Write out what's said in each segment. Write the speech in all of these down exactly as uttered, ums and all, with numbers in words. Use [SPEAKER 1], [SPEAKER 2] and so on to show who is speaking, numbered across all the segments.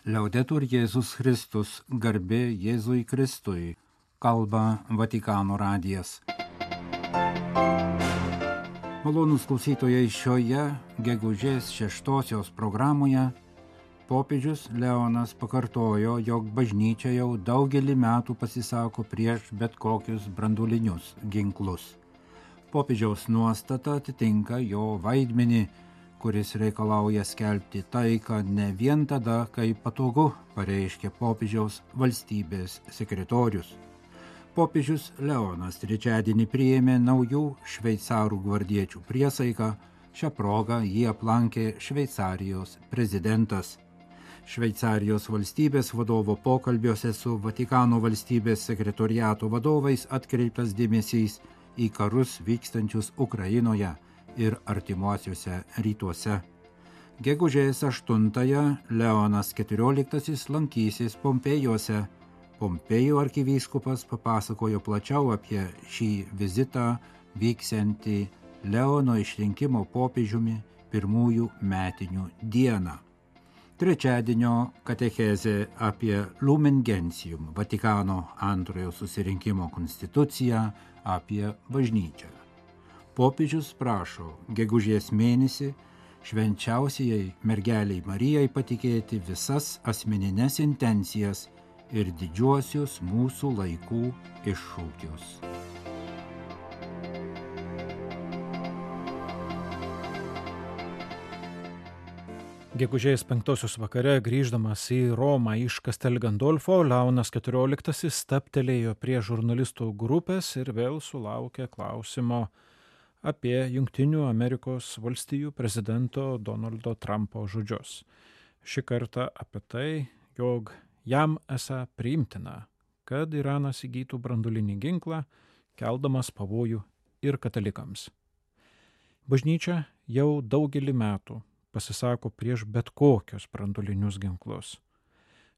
[SPEAKER 1] Liaudetur Jėzus Kristus, garbė Jėzui Kristui, kalba Vatikano radijas. Malonūs klausytojai, šioje gegužės šeštosios programoje popiežius Leonas pakartojo, jog bažnyčia jau daugelį metų pasisako prieš bet kokius branduolinius ginklus. Popiežiaus nuostata atitinka jo vaidmenį, kuris reikalauja skelbti taiką ne vien tada, kai patogu, pareiškė popiežiaus valstybės sekretorius. Popiežius Leonas trečiadienį priėmė naujų šveicarų gvardiečių priesaiką, šią progą jį aplankė Šveicarijos prezidentas. Šveicarijos valstybės vadovo pokalbiuose su Vatikano valstybės sekretoriato vadovais atkreiptas dėmesys į karus vykstančius Ukrainoje ir artimuosiuose rytuose. Gegužės aštuntąją Leonas keturioliktasis lankysis Pompėjuose. Pompėjų arkivyskupas papasakojo plačiau apie šį vizitą vyksiantį Leono išrinkimo popiežiumi pirmųjų metinių dieną. Trečiadienio katechezė apie Lumen Gentium, Vatikano antrojo susirinkimo konstituciją, apie bažnyčią. Popiežius prašo gegužės mėnesį švenčiausiai mergeliai Marijai patikėti visas asmenines intencijas ir didžiuosius mūsų laikų iššūkius.
[SPEAKER 2] Gegužės penktosios vakare grįždamas į Romą iš Castel Gandolfo, Leonas keturioliktasis stabtelėjo prie žurnalistų grupės ir vėl sulaukė klausimo apie Jungtinių Amerikos valstijų prezidento Donaldo Trumpo žodžius. Šį kartą apie tai, jog jam esą priimtina, kad Iranas įgytų branduolinį ginklą, keldamas pavojų ir katalikams. Bažnyčia jau daugelį metų pasisako prieš bet kokius branduolinius ginklus.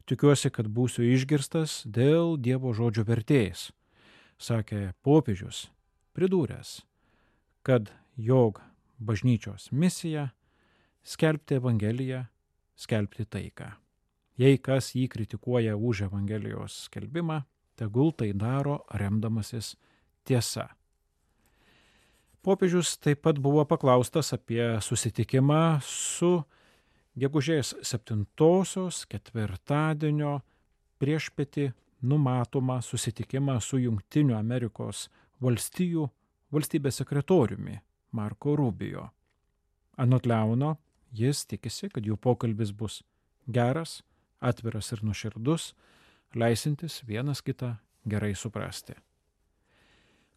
[SPEAKER 2] Tikiuosi, kad būsiu išgirstas dėl Dievo žodžio vertės, sakė popiežius, pridūręs, kad jog bažnyčios misija skelbti Evangeliją, skelbti taiką. Jei kas jį kritikuoja už Evangelijos skelbimą, tegul tai daro remdamasis tiesa. Popiežius taip pat buvo paklaustas apie susitikimą su gegužės septintosios ketvirtadienio priešpietį numatomą susitikimą su Jungtinių Amerikos valstijų valstybės sekretoriumi Marco Rubio. Anot Leono, jis tikisi, kad jų pokalbis bus geras, atviras ir nuoširdus, leisintis vienas kitą gerai suprasti.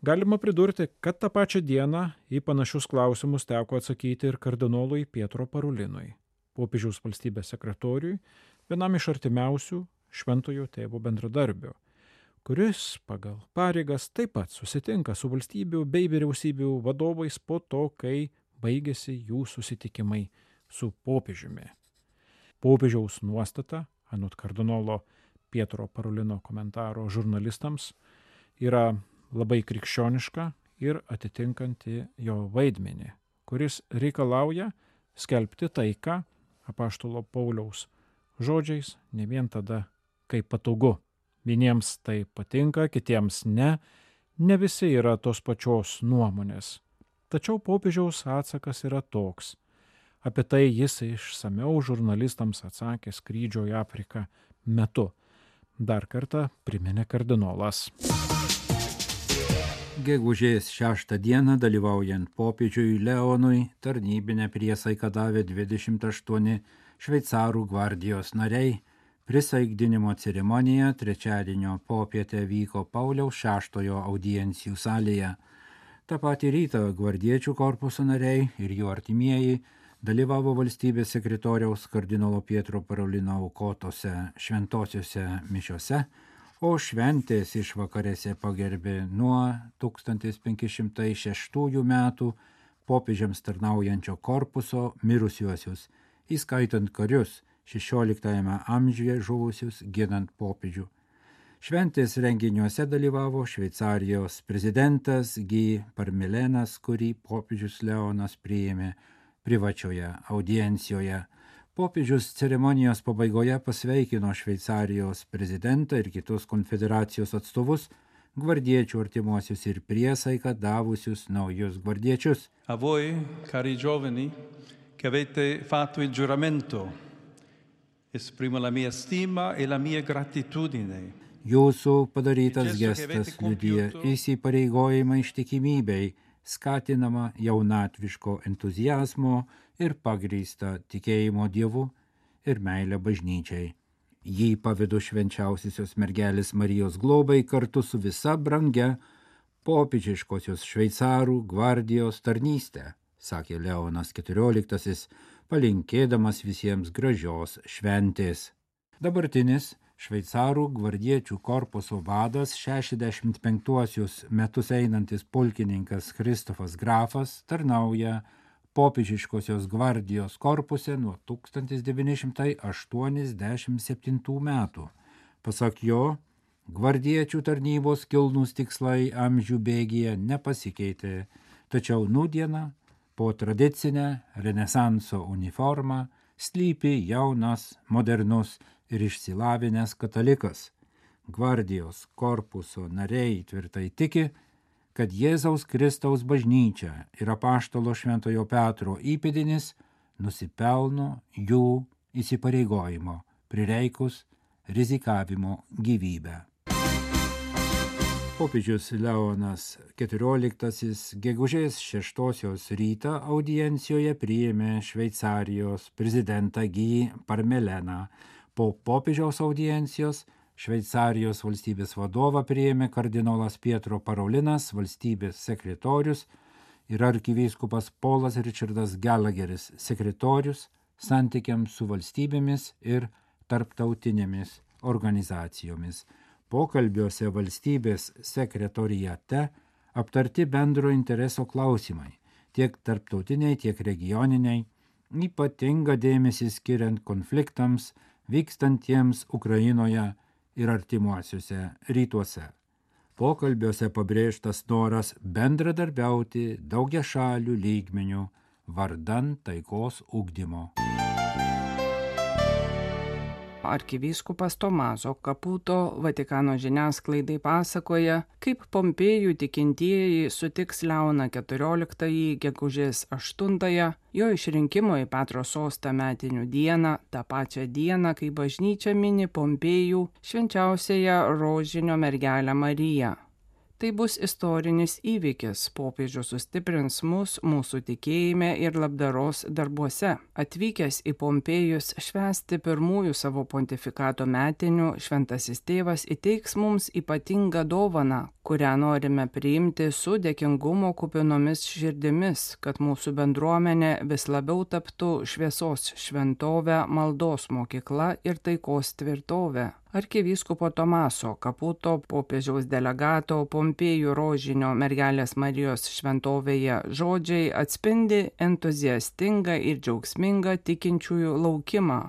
[SPEAKER 2] Galima pridurti, kad tą pačią dieną į panašius klausimus teko atsakyti ir kardinolui Pietro Parulinui, popiežiaus valstybės sekretoriui, vienam iš artimiausių šventojo tėvo bendradarbių, kuris pagal pareigas taip pat susitinka su valstybių bei vyriausybių vadovais po to, kai baigėsi jų susitikimai su popiežiumi. Popiežiaus nuostata, anot kardinolo Pietro Parulino komentaro žurnalistams, yra labai krikščioniška ir atitinkanti jo vaidmenį, kuris reikalauja skelbti taiką apaštalo Pauliaus žodžiais ne vien tada, kai patogu. Vieniems tai patinka, kitiems ne, ne visi yra tos pačios nuomonės. Tačiau popiežiaus atsakas yra toks. Apie tai jis išsamiau žurnalistams atsakė skrydžio į Afriką metu. Dar kartą priminė kardinolas.
[SPEAKER 1] Gegužės šeštą dieną dalyvaujant popiežiui Leonui tarnybinę priesaiką davė dvidešimt aštuoni šveicarų gvardijos nariai. Prisaikdinimo ceremonija trečiadienio popietę vyko Pauliaus šeštojo audiencijų salėje. Ta patį rytą gvardiečių korpuso nariai ir jų artimieji dalyvavo valstybės sekretoriaus kardinolo Pietro Parulino aukotose šventosiuose mišiose, o šventės išvakarėse pagerbė nuo tūkstantis penki šimtai šeštųjų metų popiežiams tarnaujančio korpuso mirusiuosius, įskaitant karius šešioliktajame amžiuje žuvusius ginant popiežių. Šventės renginiuose dalyvavo Šveicarijos prezidentas Guy Parmelenas, kurį popiežius Leonas priėmė privačioje audiencijoje. Popiežius ceremonijos pabaigoje pasveikino Šveicarijos prezidentą ir kitus konfederacijos atstovus, gvardiečių artimuosius ir priesaiką davusius naujus gvardiečius.
[SPEAKER 3] A voi, cari giovani, che avete fatto il giuramento, esprimo la mia stima e la mia gratitudine.
[SPEAKER 1] Jūsų padarytas gestas liudija įsipareigojimą ištikimybei, skatinama jaunatviško entuziazmo ir pagrįsta tikėjimo Dievu ir meilė bažnyčiai. Jį pavedu švenčiausiosios mergelės Marijos globai kartu su visa brangia popiežiškosios šveicarų gvardijos tarnystė, sakė Leonas keturioliktasis, palinkėdamas visiems gražios šventės. Dabartinis šveicarų gvardiečių korpuso vadas šešiasdešimt penktuosius metus einantis pulkininkas Kristofas Grafas tarnauja popiežiškosios gvardijos korpuse nuo tūkstantis devyni šimtai aštuoniasdešimt septintų metų. Pasak jo, gvardiečių tarnybos kilnūs tikslai amžių bėgyje nepasikeitė, tačiau nūdieną po tradicinę renesanso uniformą slypi jaunas, modernus ir išsilavinęs katalikas. Gvardijos korpuso nariai tvirtai tiki, kad Jėzaus Kristaus bažnyčia ir apaštalo Šventojo Petro įpėdinis nusipelno jų įsipareigojimo, prireikus rizikavimo gyvybę. Popiežius Leonas keturioliktasis gegužės šeštosios rytą audiencijoje priėmė Šveicarijos prezidentą Guy Parmeleną. Po popiežiaus audiencijos Šveicarijos valstybės vadovą priėmė kardinolas Pietro Parolinas, valstybės sekretorius, ir arkivyskupas Polas Richardas Gallagheris, sekretorius santykiams su valstybėmis ir tarptautinėmis organizacijomis. Pokalbiuose valstybės sekretoriate aptarti bendro intereso klausimai, tiek tarptautiniai, tiek regioniniai, ypatingą dėmesį skiriant konfliktams vykstantiems Ukrainoje ir artimuosiuose rytuose. Pokalbiuose pabrėžtas noras bendradarbiauti daugiašalių lygmenių vardan taikos ugdymo.
[SPEAKER 4] Arkivyskupas Tomaso Caputo Vatikano žiniasklaidai pasakoja, kaip Pompėjų tikintieji sutiks Leoną keturioliktąjį gegužės aštuntąją, jo išrinkimo į Petro sostą metinių dieną, tą pačią dieną, kai bažnyčia mini Pompėjų švenčiausiąją rožinio mergelę Mariją. Tai bus istorinis įvykis, popiežius sustiprins mus mūsų tikėjime ir labdaros darbuose. Atvykęs į Pompėjus švęsti pirmųjų savo pontifikato metinių, šventasis tėvas įteiks mums ypatingą dovaną, kurią norime priimti su dėkingumo kupinomis širdimis, kad mūsų bendruomenė vis labiau taptų šviesos šventovę, maldos mokykla ir taikos tvirtovę. Arkivyskupo Tomaso Caputo, popiežiaus delegato Pompėjų rožinio mergelės Marijos šventovėje žodžiai atspindi entuziastingą ir džiaugsmingą tikinčiųjų laukimą.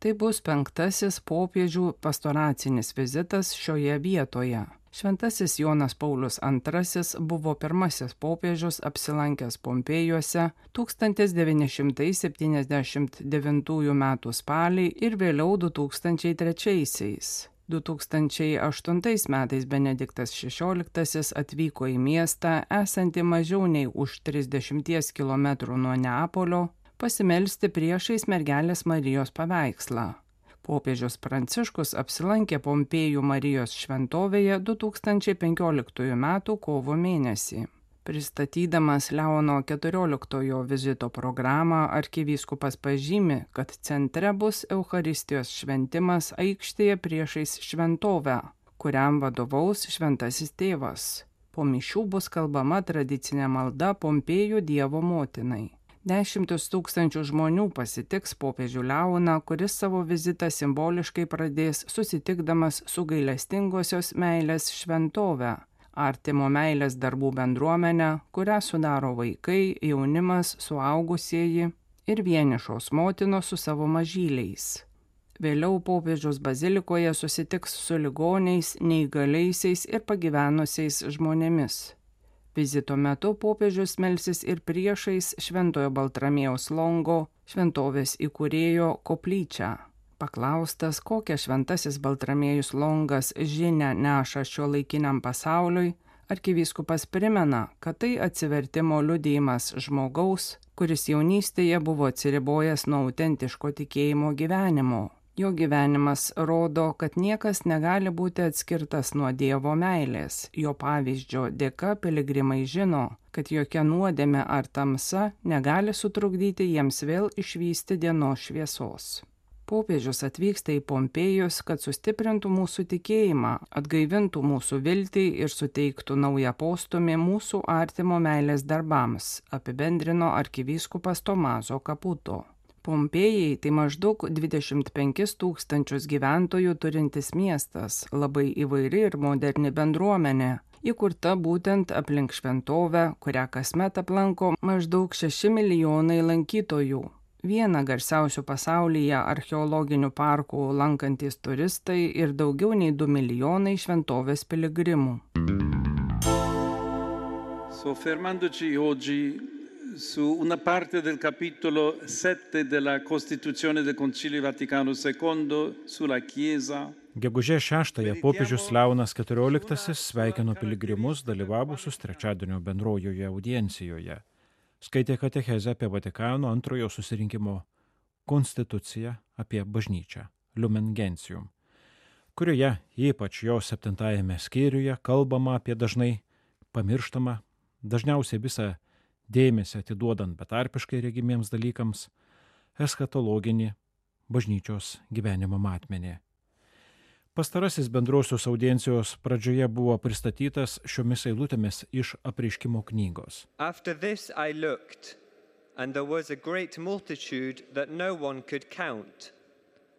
[SPEAKER 4] Tai bus penktasis popiežių pastoracinis vizitas šioje vietoje. Šventasis Jonas Paulius antrasis buvo pirmasis popiežius apsilankęs Pompėjuose tūkstantis devyni šimtai septyniasdešimt devintųjų metų spalį ir vėliau du tūkstančiai trečiaisiais. du tūkstančiai aštuntais metais Benediktas šešioliktasis atvyko į miestą, esantį mažiau nei už trisdešimties kilometrų nuo Neapolio, pasimelsti priešais mergelės Marijos paveikslą. Popiežius Pranciškus apsilankė Pompėjų Marijos šventovėje du tūkstančiai penkioliktųjų metų kovo mėnesį. Pristatydamas Leono keturioliktojo vizito programą, arkivyskupas pažymi, kad centre bus Eucharistijos šventimas aikštėje priešais šventovę, kuriam vadovaus šventasis tėvas. Po mišių bus kalbama tradicinė malda Pompėjų Dievo motinai. Dešimtis tūkstančių žmonių pasitiks popiežių Leoną, kuris savo vizitą simboliškai pradės susitikdamas su gailestingosios meilės šventove, artimo meilės darbų bendruomenę, kurią sudaro vaikai, jaunimas, suaugusieji ir vienišos motinos su savo mažyliais. Vėliau popiežius bazilikoje susitiks su ligoniais, neįgaliaisiais ir pagyvenusiais žmonėmis. Vizito metu popiežius melsis ir priešais Šventojo Baltramiejaus Longo šventovės įkūrėjo koplyčią. Paklaustas, kokią šventasis Baltramiejus Longas žinią neša šiuolaikiniam pasauliui, arkivyskupas primena, kad tai atsivertimo liudijimas žmogaus, kuris jaunystėje buvo atsiribojęs nuo autentiško tikėjimo gyvenimo. Jo gyvenimas rodo, kad niekas negali būti atskirtas nuo Dievo meilės. Jo pavyzdžio dėka piligrimai žino, kad jokia nuodėmė ar tamsa negali sutrukdyti jiems vėl išvysti dienos šviesos. Popiežius atvyksta į Pompėjus, kad sustiprintų mūsų tikėjimą, atgaivintų mūsų viltį ir suteiktų naują postūmį mūsų artimo meilės darbams, apibendrino arkivyskupas Tomaso Caputo. Pompėjai tai maždaug dvidešimt penkis tūkstančius gyventojų turintis miestas, labai įvairi ir moderni bendruomenė, įkurta būtent aplink šventovę, kurią kasmet aplanko maždaug šeši milijonai lankytojų. Vieną garsiausių pasaulyje archeologinių parkų lankantis turistai ir daugiau nei du milijonai šventovės piligrimų.
[SPEAKER 3] Soffermandoci oggi su una parte del capitolo sette della Costituzione del Concilio Vaticano secondo sulla Chiesa.
[SPEAKER 2] Gegužės šeštąją popiežius Leonas keturioliktasis sveikino piligrimus dalyvavusius trečiadienio bendrojoje audiencijoje. Skaitė katechezę apie Vatikano antrojo susirinkimo konstituciją apie bažnyčią, Lumen Gentium, kurioje ypač jo septintajame skyriuje kalbama apie dažnai pamirštamą, dažniausiai visą dėmesį atiduodant betarpiškai regimiems dalykams, eschatologinį bažnyčios gyvenimo matmenį. Pastarasis bendrosios audiencijos pradžioje buvo pristatytas šiomis eilutėmis iš Apreiškimo knygos.
[SPEAKER 5] After this I looked, and there was a great multitude that no one could count,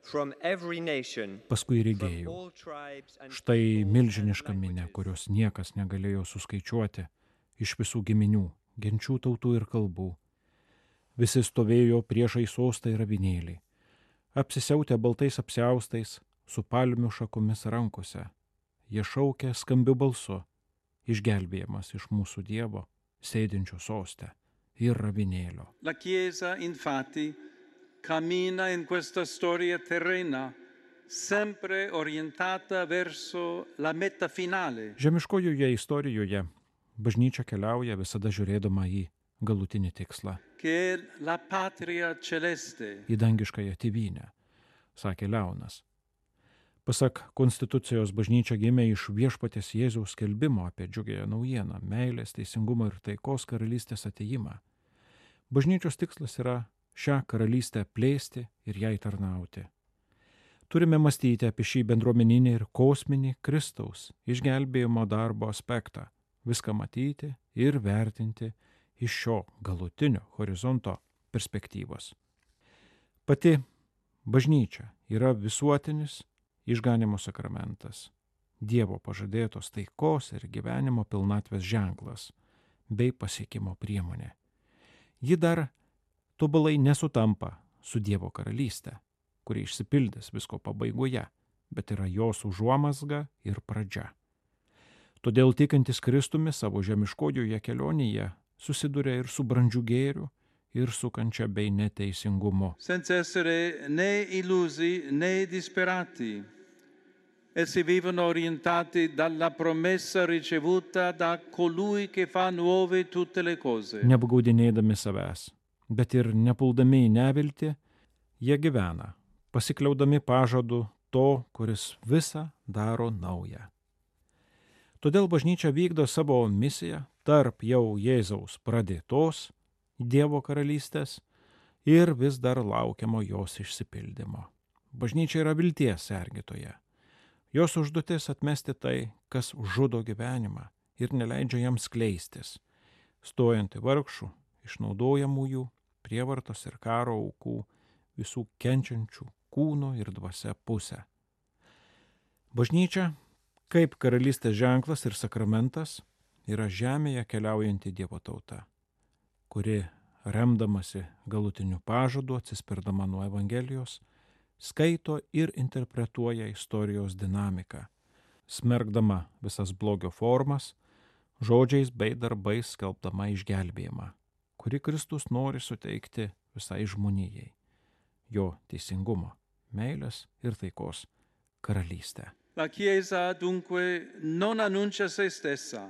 [SPEAKER 5] from every nation,
[SPEAKER 2] Paskui
[SPEAKER 5] from
[SPEAKER 2] regėjau.
[SPEAKER 5] all tribes and
[SPEAKER 2] Štai
[SPEAKER 5] peoples and
[SPEAKER 2] milžiniška minia,
[SPEAKER 5] languages.
[SPEAKER 2] kurios niekas negalėjo suskaičiuoti, iš visų giminių, genčių, tautų ir kalbų. Visi stovėjo priešai sostą ir avinėlį, apsisiautę baltais apsiaustais, su palmių šakomis rankose. Jie šaukė skambiu balsu, išgelbėjimas iš mūsų Dievo, sėdinčio soste ir avinėlio.
[SPEAKER 3] La Chiesa, infatti, cammina in questa storia terrena, sempre orientata verso la meta finale.
[SPEAKER 2] Žemiškojoje istorijoje bažnyčia keliauja visada žiūrėdama į galutinį tikslą,
[SPEAKER 3] Che è la patria celeste.
[SPEAKER 2] į dangiškąją tėvynę, sakė Leonas. Pasak konstitucijos, bažnyčia gimė iš viešpaties Jėzaus skelbimo apie džiugiąją naujieną, meilės, teisingumo ir taikos karalystės atėjimą. Bažnyčios tikslas yra šią karalystę plėsti ir jai tarnauti. Turime mąstyti apie šį bendruomeninį ir kosminį Kristaus išgelbėjimo darbo aspektą, viską matyti ir vertinti iš šio galutinio horizonto perspektyvos. Pati bažnyčia yra visuotinis išganimo sakramentas, Dievo pažadėtos taikos ir gyvenimo pilnatvės ženklas bei pasiekimo priemonė. Ji dar tobulai nesutampa su Dievo karalystė, kuri išsipildys visko pabaigoje, bet yra jos užuomazga ir pradžia. Todėl tikintis Kristumi savo žemiškojoje kelionėje susiduria ir su brandžiu gėriu, ir su kančia bei neteisingumu.
[SPEAKER 3] Senza essere né illusi né disperati. Essi vivono orientati dalla promessa ricevuta da colui che fa nuove tutte le cose.
[SPEAKER 2] Neapgaudinėdami savęs, bet ir nepuldami į neviltį, jie gyvena, pasikliaudami pažadu to, kuris visą daro naują. Todėl bažnyčia vykdo savo misiją tarp jau Jėzaus pradėtos Dievo karalystės ir vis dar laukiamo jos išsipildymo. Bažnyčia yra vilties sergėtoja. Jos užduotis atmesti tai, kas žudo gyvenimą ir neleidžia jam skleistis, stojant į vargšų, išnaudojamųjų, prievartos ir karo aukų, visų kenčiančių kūno ir dvasia pusę. Bažnyčia, kaip karalystės ženklas ir sakramentas, yra žemėje keliaujanti Dievo tauta, kuri, remdamasi galutiniu pažadu, atsispirdama nuo Evangelijos, skaito ir interpretuoja istorijos dinamiką, smergdama visas blogio formas, žodžiais bei darbais skelbdama išgelbėjimą, kurį Kristus nori suteikti visai žmonijai, jo teisingumo, meilės ir taikos karalystę.
[SPEAKER 3] La Chiesa dunque non annuncia se stessa,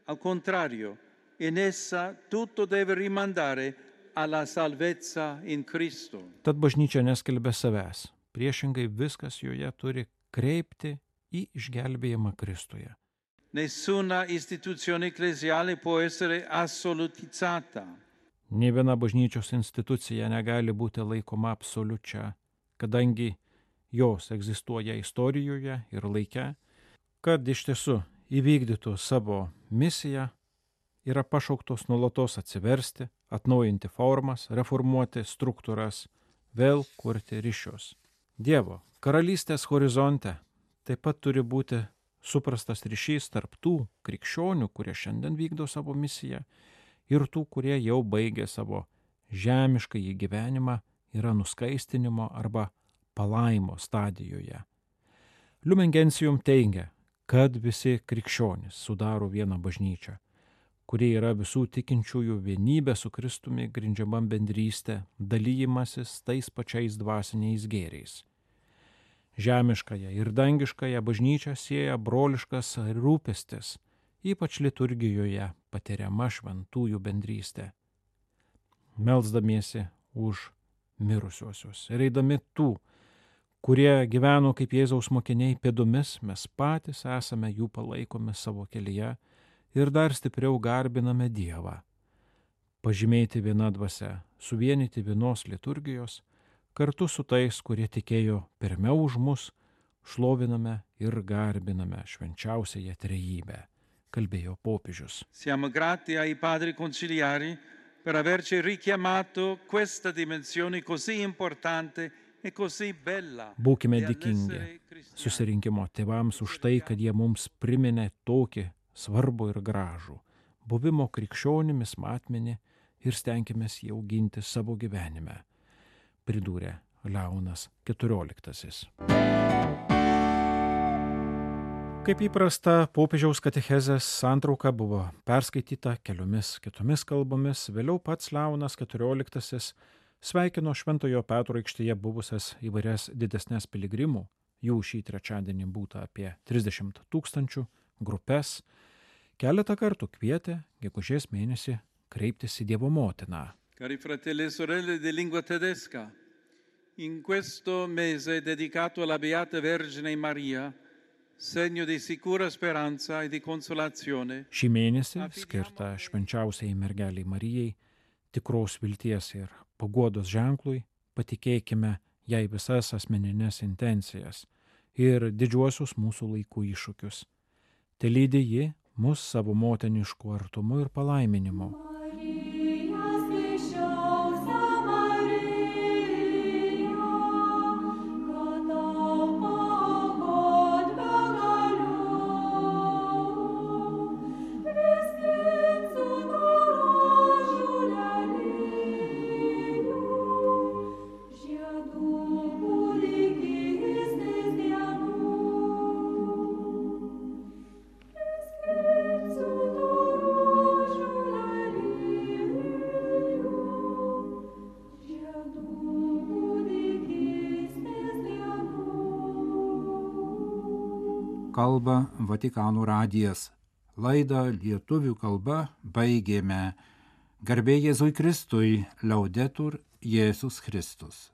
[SPEAKER 3] al contrario, in essa tutto deve rimandare alla salvezza in Cristo.
[SPEAKER 2] Tad bažnyčia neskelbia savęs, priešingai viskas joje turi kreipti į išgelbėjimą Kristuje.
[SPEAKER 3] Nessuna istituzione ecclesiale può essere assolutizzata.
[SPEAKER 2] Nė viena bažnyčios institucija negali būti laikoma absoliučia, kadangi jos egzistuoja istorijoje ir laike, kad iš tiesų įvykdytų savo misiją, yra pašauktos nuolatos atsiversti, atnaujinti formas, reformuoti struktūras, vėl kurti ryšius. Dievo karalystės horizonte taip pat turi būti suprastas ryšys tarp tų krikščionių, kurie šiandien vykdo savo misiją, ir tų, kurie jau baigė savo žemiškąjį gyvenimą, yra nuskaistinimo arba palaimo stadijoje. Lumen Gentium teigia, kad visi krikščionys sudaro vieną bažnyčią, kuri yra visų tikinčiųjų vienybė su Kristumi grindžiama bendrystė, dalyjimasis tais pačiais dvasiniais gėriais. Žemiškąją ir dangiškąją bažnyčią sieja broliškas rūpestis, ypač liturgijoje patiriama šventųjų bendrystė. Melsdamiesi už mirusiuosius ir eidami tų, kurie gyveno kaip Jėzaus mokiniai pėdomis, mes patys esame jų palaikomi savo kelyje ir dar stipriau garbiname Dievą. Pažymėti viena dvasia, suvienyti vienos liturgijos, kartu su tais, kurie tikėjo pirmiau už mus, šloviname ir garbiname švenčiausiąją trejybę, kalbėjo popiežius.
[SPEAKER 3] Siamo grati ai padri conciliari per averci richiamato questa dimensione così importante e così bella.
[SPEAKER 2] Būkime dėkingi susirinkimo tėvams už tai, kad jie mums priminė tokį svarbu ir gražų buvimo krikščionimis matmenį ir stenkimės jį auginti savo gyvenime, pridūrė Leonas keturioliktasis. Kaip įprasta, popiežiaus katechezės santrauka buvo perskaityta keliomis kitomis kalbomis, vėliau pats Leonas keturioliktasis sveikino Šventojo Petro aikštėje buvusias įvairias didesnės piligrimų, jų šį trečiadienį būta apie trisdešimt tūkstančių, grupes, keletą kartų kvietė gegužės mėnesį kreiptis į Dievo motiną.
[SPEAKER 3] Cari fratelli e sorelle di lingua tedesca, in questo mese dedicato alla Beata Vergine Maria, segno di sicura speranza e di consolazione.
[SPEAKER 2] Šį mėnesį skirtą švenčiausiai mergeliai Marijai, tikros vilties ir paguodos ženklui, patikėkime jai visas asmeninės intencijas ir didžiuosius mūsų laikų iššūkius. Telydi ji mus savo motinišku artumu ir palaiminimu.
[SPEAKER 1] Kalba Vatikano radijas. Laidą lietuvių kalba baigėme. Garbė Jėzui Kristui, Laudetur Jėzus Kristus.